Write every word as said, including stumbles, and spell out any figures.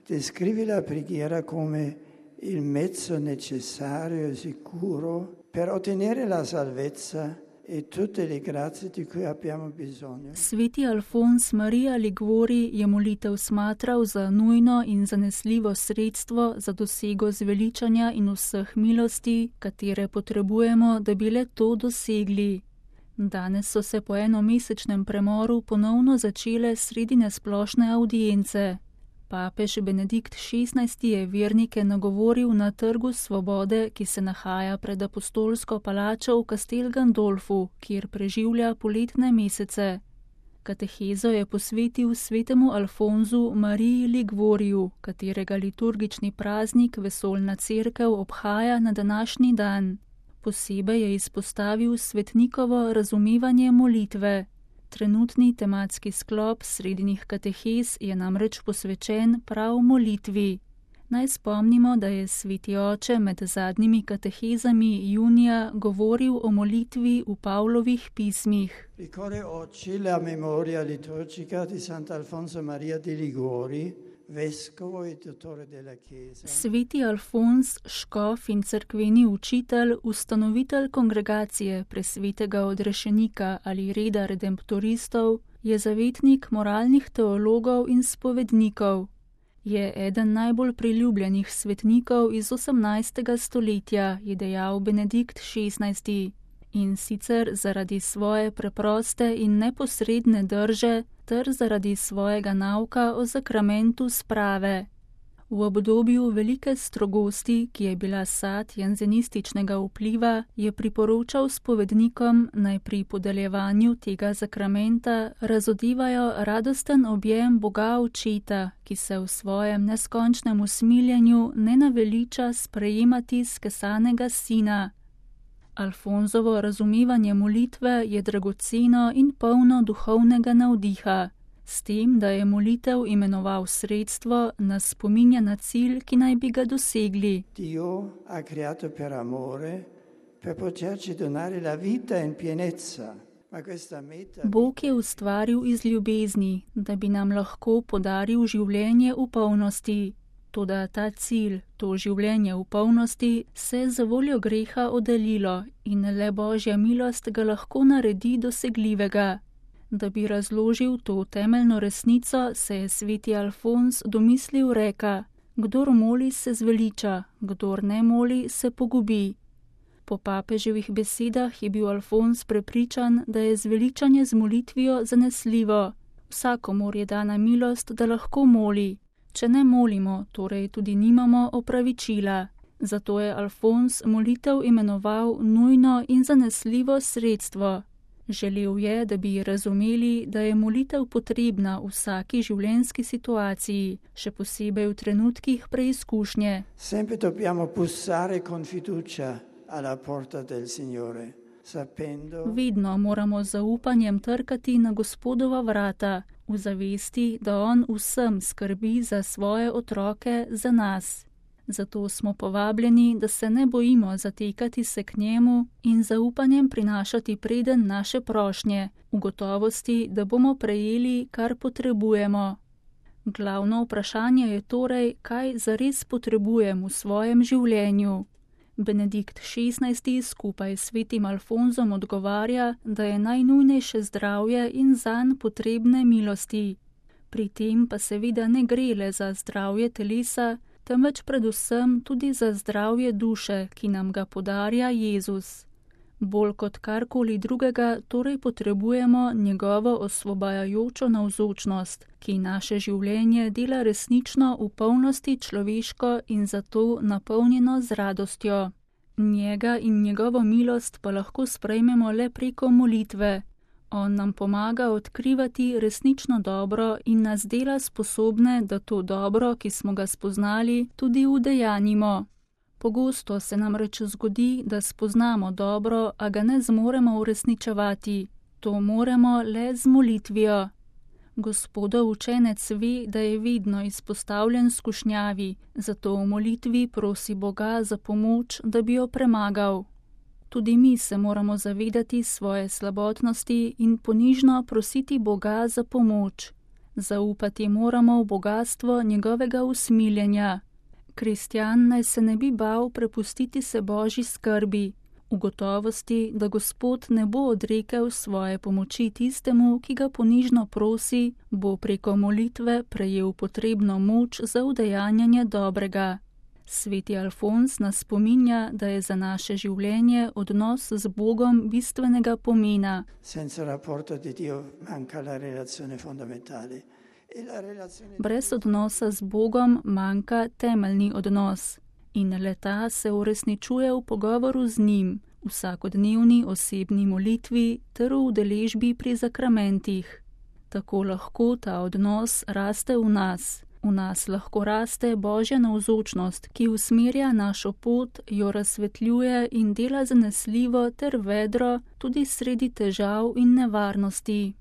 descrive la preghiera come il mezzo necessario e sicuro per ottenere la salvezza e tutte le grazie di cui abbiamo bisogno. Sveti Alfons Maria Liguori je molitev smatral za nujno in zanesljivo sredstvo za dosego zveličanja in vseh milosti, katere potrebujemo, da bi le to dosegli. Danes so se po enomesečnem premoru ponovno začele sredine splošne avdience. Papež Benedikt šestnajsti je vernike nagovoril na Trgu svobode, ki se nahaja pred apostolsko palačo v Castel Gandolfu, kjer preživlja poletne mesece. Katehezo je posvetil svetemu Alfonzu Mariji Liguoriju, katerega liturgični praznik vesoljna cerkev obhaja na današnji dan. Posebej je izpostavil svetnikovo razumevanje molitve. Trenutni tematski sklop sredinih katehez je namreč posvečen prav molitvi. Naj spomnimo, da je sveti oče med zadnjimi katehezami junija govoril o molitvi v Pavlovih pismih. Ricorre oggi la memoria liturgica di Sant'Alfonso Maria di Liguori, vescovo e dottore della Chiesa. Sveti Alfons, škof in cerkveni učitelj, ustanovitelj kongregacije presvetega odrešenika ali reda redemptoristov, je zavetnik moralnih teologov in spovednikov. Je eden najbolj priljubljenih svetnikov iz osemnajstega stoletja, je dejal Benedikt šestnajsti. In sicer zaradi svoje preproste in neposredne drže ter zaradi svojega nauka o zakramentu sprave. V obdobju velike strogosti, ki je bila sad janzenističnega vpliva, je priporočal spovednikom, naj pri podeljevanju tega zakramenta razodevajo radosten objem Boga Očeta, ki se v svojem neskončnem usmiljenju ne naveliča sprejemati skesanega sina. Alfonzovo razumevanje molitve je dragoceno in polno duhovnega navdiha. S tem, da je molitev imenoval sredstvo, nas spominja na cilj, ki naj bi ga dosegli. Dio ha creato per amore, per poterci donare la vita in pienezza. Ma questa meta... Bog je ustvaril iz ljubezni, da bi nam lahko podaril življenje v polnosti. Toda ta cilj, to življenje v polnosti, se je za voljo greha oddaljilo in le Božja milost ga lahko naredi dosegljivega. Da bi razložil to temeljno resnico, se je sveti Alfons domislil reka: kdor moli, se zveliča, kdor ne moli, se pogubi. Po papeževih besedah je bil Alfons prepričan, da je zveličanje z molitvijo zanesljivo. Vsakomur je dana milost, da lahko moli. Če ne molimo, torej tudi nimamo opravičila. Zato je Alfons molitev imenoval nujno in zanesljivo sredstvo. Želel je, da bi razumeli, da je molitev potrebna v vsaki življenjski situaciji, še posebej v trenutkih preizkušnje. Sempre dobbiamo bussare con fiducia alla porta del Signore, sapendo... Vedno moramo z zaupanjem trkati na Gospodova vrata, v zavesti, da On vsem skrbi za svoje otroke, za nas. Zato smo povabljeni, da se ne bojimo zatekati se k njemu in zaupanjem prinašati preden naše prošnje, v gotovosti, da bomo prejeli, kar potrebujemo. Glavno vprašanje je torej, kaj zares potrebujem v svojem življenju. Benedikt šestnajsti skupaj s svetim Alfonzom odgovarja, da je najnujnejše zdravje in zanj potrebne milosti. Pri tem pa seveda ne gre le za zdravje telesa, temveč predvsem tudi za zdravje duše, ki nam ga podarja Jezus. Bolj kot karkoli drugega torej potrebujemo njegovo osvobajajočo navzočnost, ki naše življenje dela resnično v polnosti človeško in zato napolnjeno z radostjo. Njega in njegovo milost pa lahko sprejmemo le preko molitve. On nam pomaga odkrivati resnično dobro in nas dela sposobne, da to dobro, ki smo ga spoznali, tudi udejanjimo. Pogosto se nam reč zgodi, da spoznamo dobro, a ga ne zmoremo uresničevati. To moremo le z molitvijo. Gospodov učenec ve, da je vedno izpostavljen skušnjavi, zato v molitvi prosi Boga za pomoč, da bi jo premagal. Tudi mi se moramo zavedati svoje slabotnosti in ponižno prositi Boga za pomoč. Zaupati moramo v bogatstvo njegovega usmiljenja. Kristjan naj se ne bi bal prepustiti se Božji skrbi, v gotovosti, da Gospod ne bo odrekel svoje pomoči tistemu, ki ga ponižno prosi, bo preko molitve prejel potrebno moč za udejanjanje dobrega. Sveti Alfons nas spominja, da je za naše življenje odnos z Bogom bistvenega pomena. Brez odnosa z Bogom manjka temeljni odnos in le-ta se uresničuje v pogovoru z njim, vsakodnevni osebni molitvi ter v udeležbi pri zakramentih. Tako lahko ta odnos raste v nas. V nas lahko raste Božja navzočnost, ki usmerja našo pot, jo razsvetljuje in dela zanesljivo ter vedro tudi sredi težav in nevarnosti.